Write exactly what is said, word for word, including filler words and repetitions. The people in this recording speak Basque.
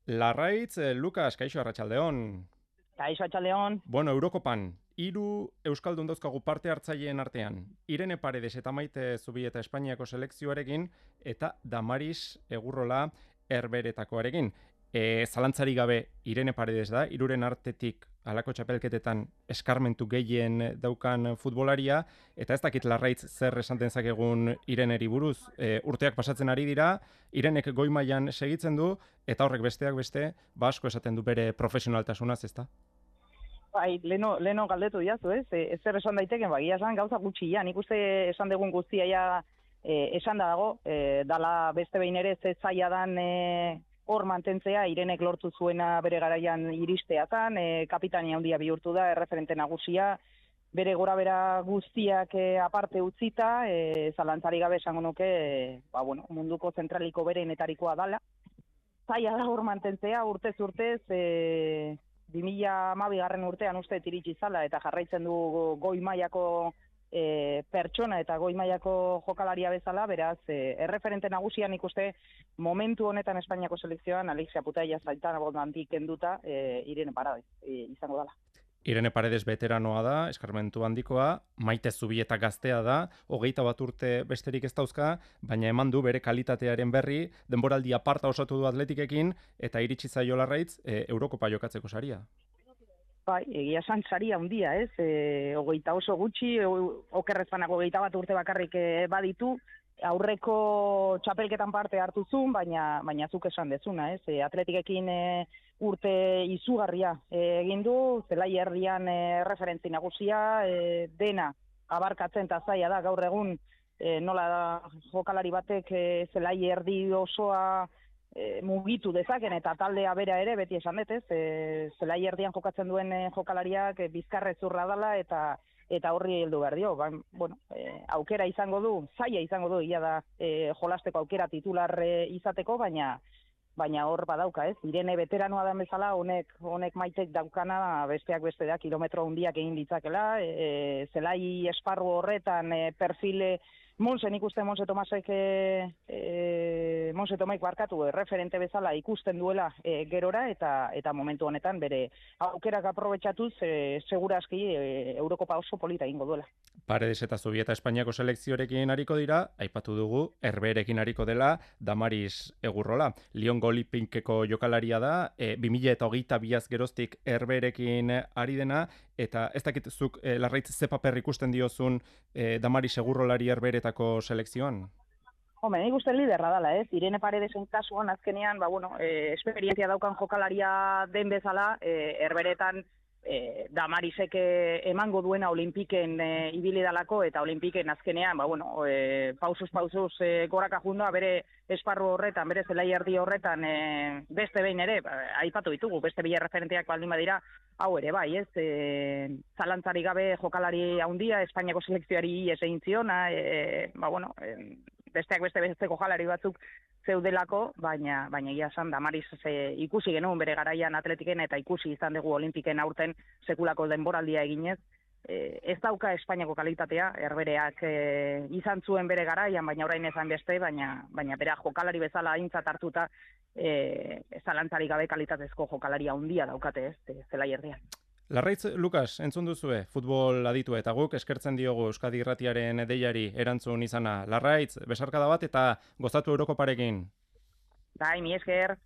Larraitz, eh, Lukas, kaixo arratsaldeon. Kaixo Atxaldeon. Bueno, Eurokopan, hiru euskaldun dauzkagu parte hartzaileen artean. Irene Paredes eta Maite Zubieta Espainiako selekzioarekin eta Damaris Egurrola Herberetakoarekin. E, zalantzari gabe Irene Paredes da, hiruren artetik halako txapelketetan eskarmentu gehien daukan futbolaria, eta ez dakit Larraitz zer esan dezakegun Ireneri buruz. E, urteak pasatzen ari dira, Irenek goi mailan segitzen du, eta horrek besteak beste, ba asko esaten du bere profesionaltasunaz, ezta? Bai, leno, leno galdetu diazu, ez? E, ezer esan daiteken, bagia esan gauza gutxi ja. Nik uste esan dugun guztia ja e, esan da dago, e, dala beste behin ere ze zaila dan e, hor mantentzea, Irenek lortu zuena bere garaian iristea zan, e, kapitania handia bihurtu da, erreferente nagusia, bere gora bera guztiak e, aparte utzita, e, zalantzari gabe esango nuke, e, ba, bueno, munduko zentraliko berenetarikoa dala. Zaila da hor mantentzea, urtez urtez, e, bi mila hamabigarren urtean uste iritsi zala eta jarraitzen du goi mailako e, pertsona eta goi mailako jokalaria bezala, beraz, e, erreferente nagusian ikuste momentu honetan Espainiako selekzioan Alexia Putellas zaitan abondantik kenduta e, Irene Paredes e, izango dela. Irene Paredes veteranoa da, eskarmentu handikoa, Maite Zubieta gaztea da, hogeita bat urte besterik ez dauzka, baina eman du bere kalitatearen berri, denboraldi aparta osatu du Atletikekin, eta iritsi zaio Larraitz e, Eurokopa jokatzeko saria. Bai, egia esan saria handia, ez? E, hogeita oso gutxi, okerrez banago hogeita bat urte bakarrik e, baditu, aurreko txapelketan parte hartu zuen, baina, baina zuk esan dezuna, ez? E, Atletikekin e, urte izugarria e, egin du, zelai herrian e, referentzi nagusia, e, dena abarkatzen eta zaila da gaur egun e, nola da jokalari batek e, zelai erdi osoa e, mugitu dezaken eta taldea bera ere beti esan dut, ez? E, zelai erdian jokatzen duen e, jokalariak e, bizkarrezurra dela eta eta horri heldu behar dio. Ba, bueno, e, aukera izango du, zaila izango du, ia da e, jolasteko aukera titular e, izateko, baina baina hor badauka, ez? Irene veteranoa da bezala, honek honek Maitek daukana besteak beste da kilometro handiak egin ditzakela, e, zelai esparru horretan e, perfile Monsen ikusten Monse Tomasek e, e, Monse Tomaik barkatu referente bezala ikusten duela e, gerora eta eta momentu honetan bere aukerak aprobetxatuz e, segurazki e, Eurokopa oso polita egingo duela. Paredes eta Zubieta Espainiako selekzioarekin hariko dira, aipatu dugu, Herberekin hariko dela, Damaris Egurrola. Liongo Olimpikeko jokalaria da, e, bi mila hogeita biaz geroztik Herberekin ari dena, eta ez dakit zuk e, Larraitz ze paper ikusten diozun e, Damaris Egurrolari Herberetako selekzioan? Hombre, nik uste liderra dala, ez? Irene Paredesen kasuan azkenean, ba, bueno, e, esperientzia daukan jokalaria den bezala, e, Herberetan E, Damarisek emango duena Olimpiken e, ibili dalako eta Olimpiken azkenean, ba, bueno, e, pausuz pausuz e, goraka junda bere esparru horretan, bere zelai erdi horretan e, beste behin ere, ba, aipatu ditugu, beste bila referenteak baldin badira, hau ere, bai, ez, e, zalantzari gabe jokalari handia, Espainiako selekzioari ies egin ziona, e, ba, bueno, e, besteak beste beste jokalari batzuk zeudelako, baina baina egia esan Damaris e, ikusi genuen bere garaian Atletiken eta ikusi izan dugu Olimpiken aurten sekulako denboraldia eginez. E, ez dauka Espainiako kalitatea, Herbereak e, izan zuen bere garaian, baina orain ezan beste, baina baina bera jokalari bezala aintzat hartuta e, zalantzari gabe kalitatezko jokalaria handia daukate, ez, zelai erdian. Larraitz, Lukas, entzun duzue, futbol aditu eta guk eskertzen diogu Euskadi Irratiaren deiari erantzun izana. Larraitz, besarkada bat eta gozatu Eurokoparekin. Bai, mi esker.